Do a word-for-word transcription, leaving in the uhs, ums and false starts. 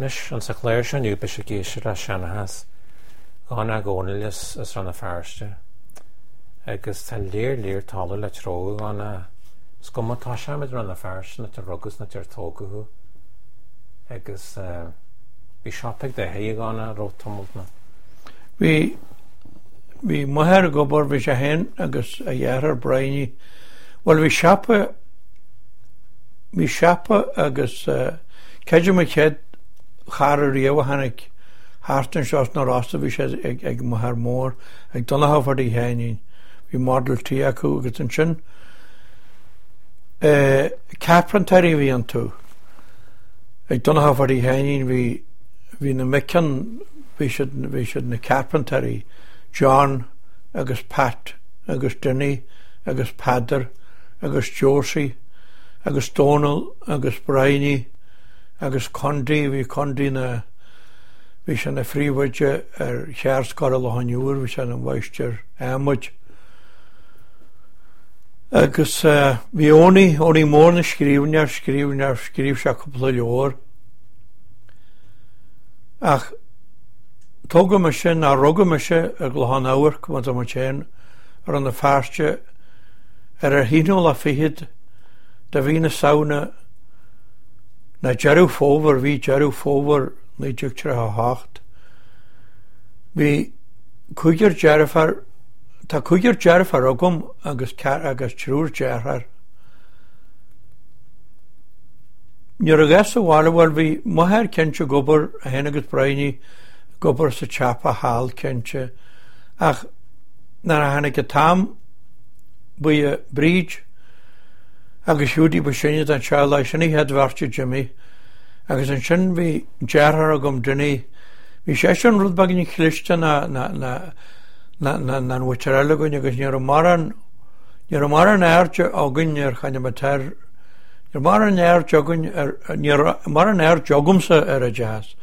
Anois, insa chlár seo inniu beidh sibh ag éisteacht le seanchas Dhomhnaill Dhónaill as as Rann na Feirste. Agus tá léar léar talamh le treabhadh ann. Is cuma tá sé i Rann na Feirste an áit a rugadh is an áit ar tógadh thú. Agus bhí siopa ag d'athair ann ar feadh tamalt nó. Bhí bhí m'athair ag obair bhí sé féin agus a dheartháir Bridie. Bhuel bhí siopa bhí siopa agus creidim an chéad charr riamh a tháinig thart anseo sna Rosa bhí sé ag ag m'athair mór ag Donncha Phadaí Sheáinín. Bhí Model T acu agus ansin eh, carpentry a bhí iontu. Ag Donncha Phadaí Sheáinín bhí bhí na mic ann bhí siad bhí siad na carpentry John agus Pat agus Dinny agus Peadar agus Josie agus Donal agus Bridie agus Condy bhí Condy na bhí sé na phríomhoide ar Cheardscoil Loch an Iúir bhí sé na mháistir adhmaid. Agus uh, bhí Owney Owney mór na scríbhneoir scríbhneoir scríobh sé cúpla leabhar. Ach tógadh mise ná rugadh mise i gClochán Amhairc mar tá féin ar an na Feirste ar ar haonú lá fichead de mhí na Samhna na Deireadh Fómhair bhí Deireadh Fómhair naoi déag tríocha hocht. Bhí cúigear deirfiúr Tá cúigear deirfiúr agam agus agus triúr deartháir. Nuair a gheas sa bhaile bhuel bhí m'athair cinnte ag obair é féin agus Bridie ag obair sa tsiopa thall cinnte ach nuair a tháinig an t-am ba í Bríd agus Hiúdaí ba sine den teaghlach sin an chéad bheirt a d'imigh agus ansin bhí deartháir agam Dinny bhí seisean rud beag níos cliste ná ná ná ná ná ná an mhuintir eile againn agus ní raibh mórán ní raibh mórán airde againn ar chaineamatar ní raibh mórán aird againn ar ní raibh mórán aird agamsa ar oideachas.